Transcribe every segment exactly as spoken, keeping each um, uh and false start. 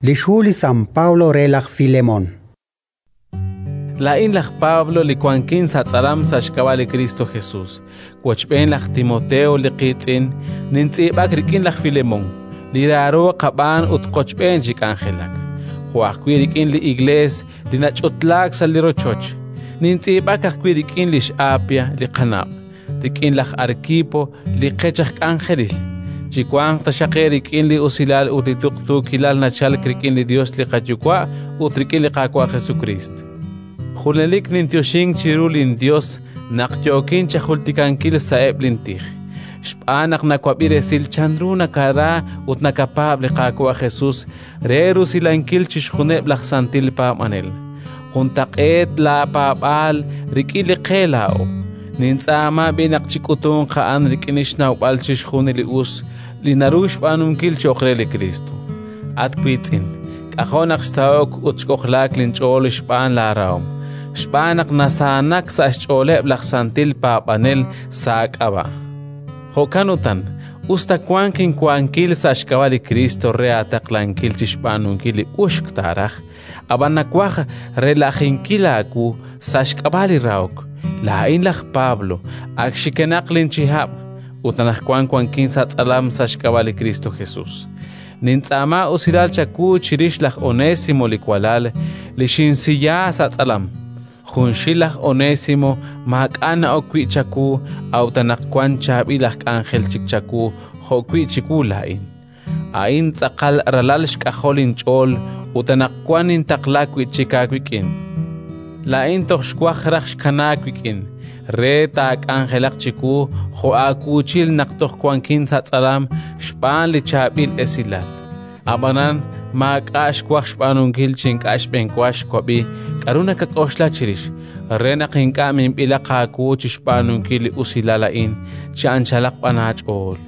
Li xhu li San Pablo re laj Filemón. Laa'in laj Pablo li wankin sa' tz'alam sa' xk'ab'a' li Kristo Jesus, wochb'een laj Timoteo li qiitz'in, nintz'iib'ak rik'in laj Filemón, li raaro qab'aan ut qochb'een chi k'anjelak, jo' ajwi' rik'in li Iklees li nach'utlaak sa' li rochoch. Nintz'iib'ak ajwi' rik'in lix Apia li qanab', rik'in laj Arkipo li qech aj k'anjelil. Chiwanq taxaq eerik'in li usilal ut li tuqtuukilal nachalk rik'in li Yos li qaYuwa' ut rik'in li Qaawa' Jesukriist. Junelik ninyoxink chiru linYos naq yookin chajultikankil sa'eb' lintij, xb'aan naq nawab'i resil chanru nakara ut nakapaab' li Qaawa' Jesus re rusilankil chixjunileb' laj santil paab'anel. Juntaq'eet laapaab'aal rik'in li qe laa'o. Nintz'aama b'i' naq chik'utunq a'an rik'in xnawb'al chixjunil li us li naru xb'aanunkil cho'q re li Kriist. At wiitz'in, k'ajo' naq xsaho'k ut xk'ojlaak linch'ool xb'aan laarahom, xb'aan naq nasaanak sa' xch'ooleb' laj santil paab'anel sa' aak'ab'a'. Jo'kan utan, us ta wank inwankil sa' xk'ab'a' li Kriist re aataqlankil chi xb'aanunkil li uxk taaraj, ab'an nawaj relajinkil aawu sa' xk'ab'a' li rahok. Laa'in laj Pablo, ak xikenaq linchihab', ut anaqwan wankin sa' tz'alam sa' xk'ab'a' li Kristo Jesus. Nintz'aama usilal chawu chirix laj Onésimo li walal, li xinsiya sa' tz'alam. Junxil laj Onésimo maak'a' na'ok wi' chawu, a'ut anaqwan chaab'il aj k'anjel chik chawu jo'wi' chiwu laa'in. A'in tz'aqal ralal xk'ajol inch'ool ut anaqwan nintaqla wi' chik aawik'in. Laa'in toj xwaj raj xkanaak wik'in, re taak'anjelaq chiwu jo' aawuuchil naq toj wankin sa' tz'alam xb'aan li chaab'il esilal. Ab'anan maak'a' xwaj xb'aanunkil chi ink'a' xb'enwa xwab'i k'aru nakak'oxla chirix, re naq ink'a' minb'ilaq aawu chi xb'aanunkil li usilal a'in chi anchalaq b'an aach'ool.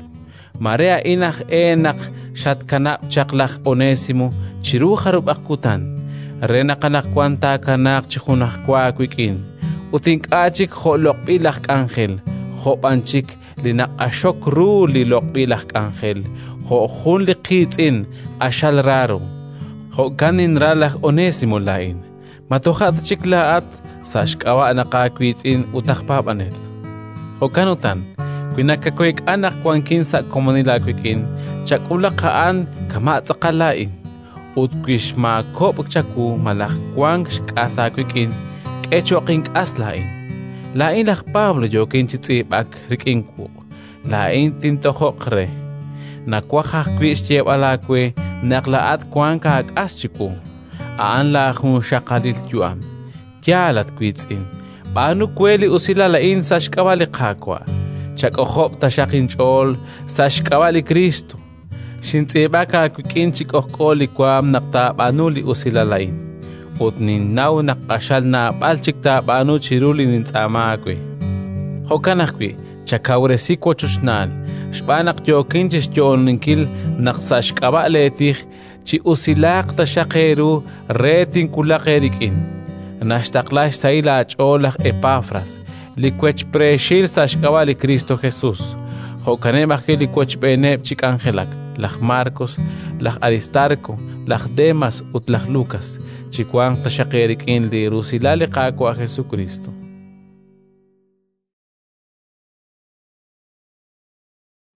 Mare a'in aj e naq xatkanab' chaq laj Onésimo chiru jarub'aq kutan, re naq anaqwan taakanaaq chi junajwa aawik'in, ut ink'a' chik jo' loq'b'il aj k'anjel, jo' b'an chik li naq'axok ru li loq'b'il aj k'anjel, jo' jun li qiitz'in q'axal raaro. Jo'kan ninra laj Onésimo laa'in. Ma toja' ta chik laa'at sa' xk'ab'a' naq aawiitz'in ut aj paab'anel. Jo'kan utan, wi nakaweek'a naq wankin sa' komonil aawik'in, chak'ulaq a'an kama' tz'aqal laa'in. Ut wi xmaakob'k chawu malaj wank xk'as aawik'in, k'e cho'q ink'as laa'in. Laa'in laj Pablo yookin chi tz'iib'ak rik'in wuq'. Laa'in tintojoq re. Nawaj ajwi' xyeeb'al aawe naq laa'at wank aak'as chiwu. A'an laajunxaqalil yu'am. Yaal, at wiitz'in, b'aanu we li usilal a'in sa' xk'ab'a' li Qaawa'. Chak'ojob' taxaq inch'ool sa' xk'ab'a' li Kriist. Xintz'iib'ak aawik'in chi k'ojk'o li waanm naq taab'aanu li usilal a'in, ut ninnaw naq q'axal naab'al chik taab'aanu chiru li nintz'aama aawe. Jo'kan ajwi' chakawresi wochochnaal, xb'aan naq yookin chi xyo'oninkil naq sa' xk'ab'a' leetij chi usilaaq taxaq eeru re tinwulaq eerik'in. Naxtaqla xsahil aach'ool laj Epafras, li wechpreexil sa' xk'ab'a' li Kristo Jesus. Jo'kaneb' ajwi' li wochb'eeneb' chi k'anjelak: laj Marcos, laj Aristarco, laj Demas ut laj Lucas. Chiwanq taxaq eerik'in li rusilal li Qaawa' Jesukriist.